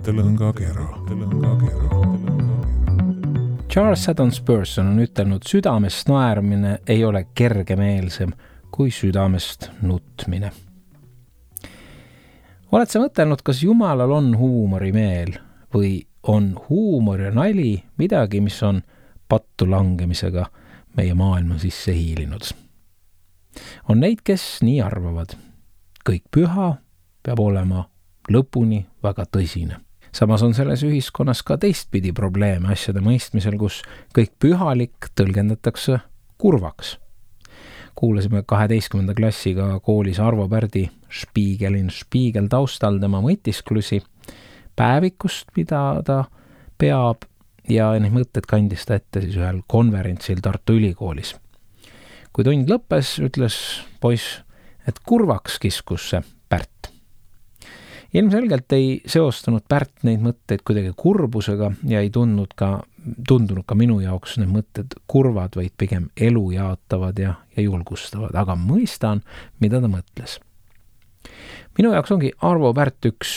mõttelõngakera. Charles Haddon Spurgeon on ütelnud, südamest naermine ei ole kergemeelsem kui südamest nutmine. Oled sa mõtelnud, kas Jumalal on huumorimeel või on huumor ja nali midagi, mis on pattu langemisega meie maailma sisse hiilinud? On neid, kes nii arvavad. Kõik püha peab olema lõpuni väga tõsine. Samas on selles ühiskonnas ka teistpidi probleeme asjade mõistmisel, kus kõik pühalik tõlgendatakse kurvaks. Kuulasime 12. klassiga koolis Arvo Pärdi Spiigel taustal tema mõtisklusi päevikust, mida ta peab, ja neid mõtted kandis ta ette siis ühel konverentsil Tartu Ülikoolis. Kui tund lõppes, ütles poiss, et kurvaks kiskus see Pärt. Ilmselgelt ei seostanud Pärt neid mõtteid kuidagi kurbusega ja ei tundunud ka minu jaoks need mõtted kurvad, vaid pigem elu jaatavad ja julgustavad, aga mõistan, mida ta mõtles. Minu jaoks ongi Arvo Pärt üks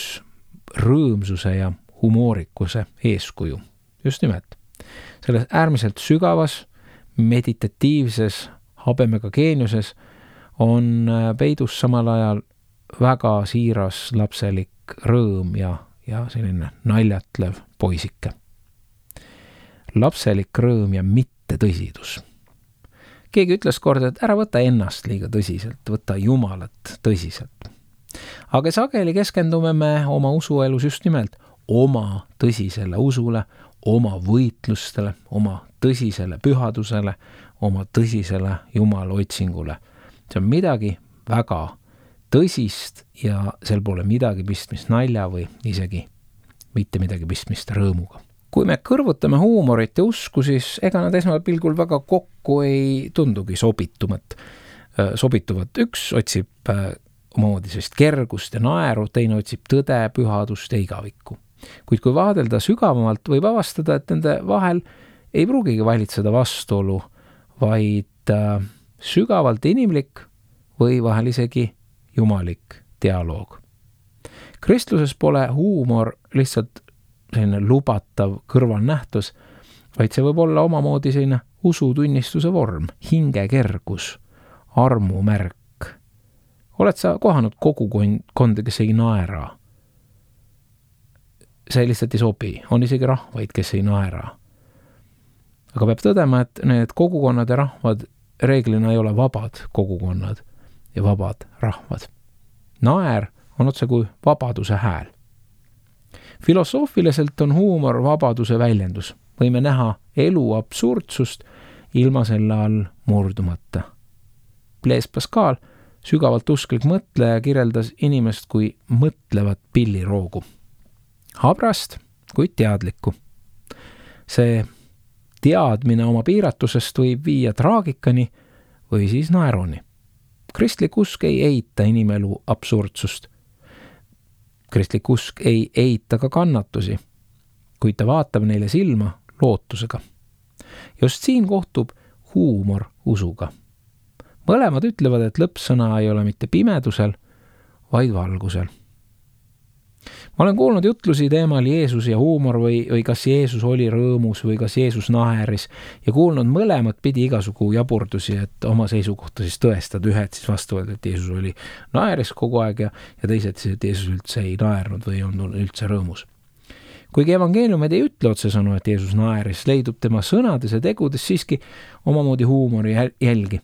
rõõmsuse ja humoorikuse eeskuju. Just nimelt. Selles äärmiselt sügavas, meditatiivses, habemega geeniuses on peidus samal ajal väga siiras lapselik rõõm ja selline naljatlev poisike. Lapselik rõõm ja mitte tõsidus. Keegi ütles kord, et ära võta ennast liiga tõsiselt, võta Jumalat tõsiselt. Aga sageli keskendume me oma usuelus just nimelt oma tõsisele usule, oma võitlustele, oma tõsisele pühadusele, oma tõsisele Jumala otsingule. See on midagi väga tõsist ja sel pole midagi pistmist nalja või isegi mitte midagi pistmist rõõmuga. Kui me kõrvutame huumorit ja usku, siis ega nad esmapilgul väga kokku ei tundugi sobituvat. Üks otsib omamoodi sellist kergust ja naeru, teine otsib tõde, pühadust ja igavikku. Kuid kui vaadelda sügavamalt, võib avastada, et nende vahel ei pruugigi valitseda vastuolu, vaid sügavalt inimlik või vahel isegi jumalik dialoog. Kristluses pole huumor lihtsalt selline lubatav kõrvalnähtus, vaid see võib olla omamoodi selline usutunnistuse vorm, hingekergus, armumärk. Oled sa kohanud kogukonda, kes ei naera? See lihtsalt ei sobi, on isegi rahvaid, kes ei naera. Aga peab tõdema, et need kogukonnad ja rahvad reeglina ei ole vabad kogukonnad ja vabad rahvad. Naer on otse kui vabaduse hääl. Filosoofiliselt on huumor vabaduse väljendus. Võime näha elu absurdsust ilma selle all murdumata. Blaise Pascal, sügavalt usklik mõtleja, kirjeldas inimest kui mõtlevat pilliroogu. Habrast, kuid teadlikku. See teadmine oma piiratusest võib viia traagikani või siis naeruni. Kristlik usk ei eita inimelu absurdsust. Kristlik usk ei eita ka kannatusi, kuid ta vaatab neile silma lootusega. Just siin kohtub huumor usuga. Mõlemad ütlevad, et lõppsõna ei ole mitte pimedusel, vaid valgusel. Ma olen kuulnud jutlusi teemal Jeesus ja huumor või kas Jeesus oli rõõmus või kas Jeesus naeris ja kuulnud mõlemat pidi igasugu jaburdusi, et oma seisukohta siis tõestad, ühed siis vastavalt, et Jeesus oli naeris kogu aeg ja teised siis, et Jeesus üldse ei naernud või on üldse rõõmus. Kuigi evangeeliumid ei ütle otsesõnu, et Jeesus naeris, leidub tema sõnades ja tegudes siiski omamoodi huumori jälgi.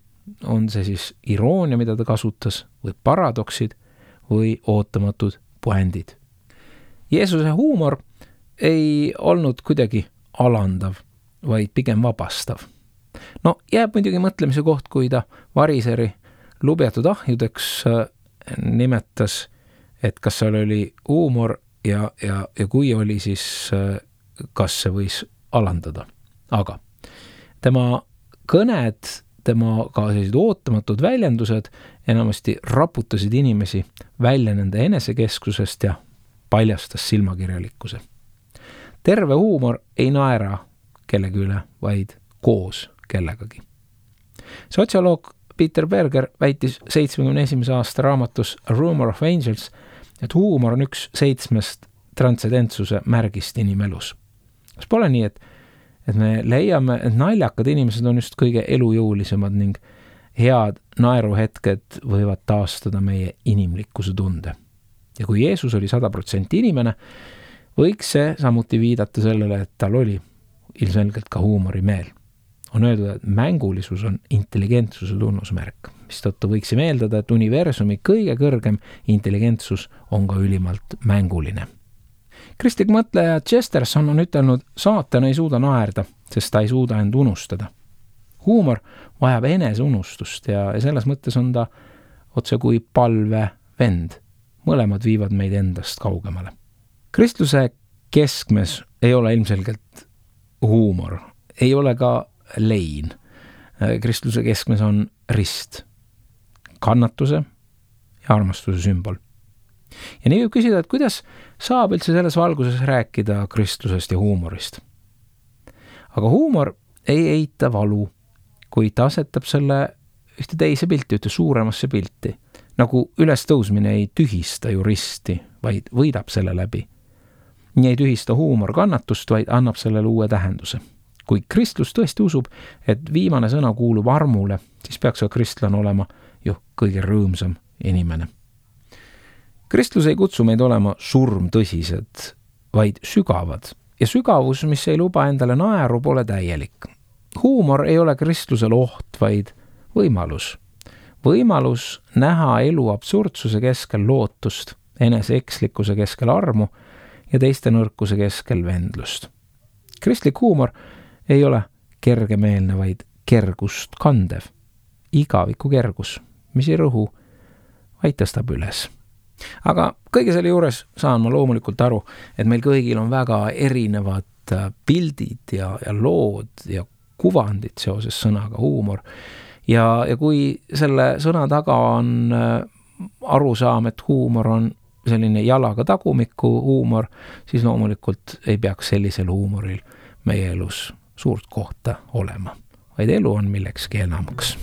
On see siis iroonia, mida ta kasutas, või paradoksid või ootamatud puändid. Jeesuse huumor ei olnud kuidagi alandav, vaid pigem vabastav. No, jääb muidugi mõtlemise koht, kui ta variseri lubjatud ahjudeks nimetas, et kas seal oli huumor ja kui oli, siis kas see võis alandada. Aga tema kõned, tema ka sellised ootamatud väljendused enamasti raputasid inimesi välja nende enesekeskusest ja paljastas silmakirjalikkuse. Terve huumor ei naera kellegi üle, vaid koos kellegagi. Sotsioloog Peter Berger väitis 71. aasta raamatus A Rumor of Angels, et huumor on üks 7 transcendentsuse märgist inimelus. Kas pole nii, et me leiame, et naljakad inimesed on just kõige elujõulisemad ning head naeruhetked võivad taastada meie inimlikkuse tunde. Ja kui Jeesus oli 100% inimene, võiks see samuti viidata sellele, et tal oli ilmselgelt ka huumorimeel. On öeldud, et mängulisus on intelligentsuse tunnusmärk, mistõttu võiksime eeldada, et universumi kõige kõrgem intelligentsus on ka ülimalt mänguline. Kristlik mõtleja Chesterton on ütelnud, saatan ei suuda naerda, sest ta ei suuda end unustada. Huumor vajab eneseunustust ja selles mõttes on ta otse kui palve vend. Mõlemad viivad meid endast kaugemale. Kristluse keskmes ei ole ilmselgelt huumor, ei ole ka lein. Kristluse keskmes on rist, kannatuse ja armastuse sümbol. Ja nii võib küsida, et kuidas saab üldse selles valguses rääkida kristlusest ja huumorist. Aga huumor ei eita valu, kui ta asetab selle ühte teise pilti, ühte suuremasse pilti. Nagu ülestõusmine ei tühista ju risti, vaid võidab selle läbi. Nii ei tühista huumor kannatust, vaid annab sellele uue tähenduse. Kui kristlus tõesti usub, et viimane sõna kuulub armule, siis peaks ka kristlane olema ju kõige rõõmsam inimene. Kristlus ei kutsu meid olema surmtõsised, vaid sügavad. Ja sügavus, mis ei luba endale naeru, pole täielik. Huumor ei ole kristlusel oht, vaid võimalus. Võimalus näha elu absurdsuse keskel lootust, enese ekslikkuse keskel armu ja teiste nõrkuse keskel vendlust. Kristlik huumor ei ole kergemeelne, vaid kergust kandev. Igaviku kergus, mis ei rõhu, vaid tõstab üles. Aga kõige selle juures saan ma loomulikult aru, et meil kõigil on väga erinevad pildid ja lood ja kuvandid seoses sõnaga huumor. Ja kui selle sõna taga on arusaam, et huumor on selline jalaga tagumiku huumor, siis loomulikult ei peaks sellisel huumoril meie elus suurt kohta olema, vaid elu on millekski enamaks.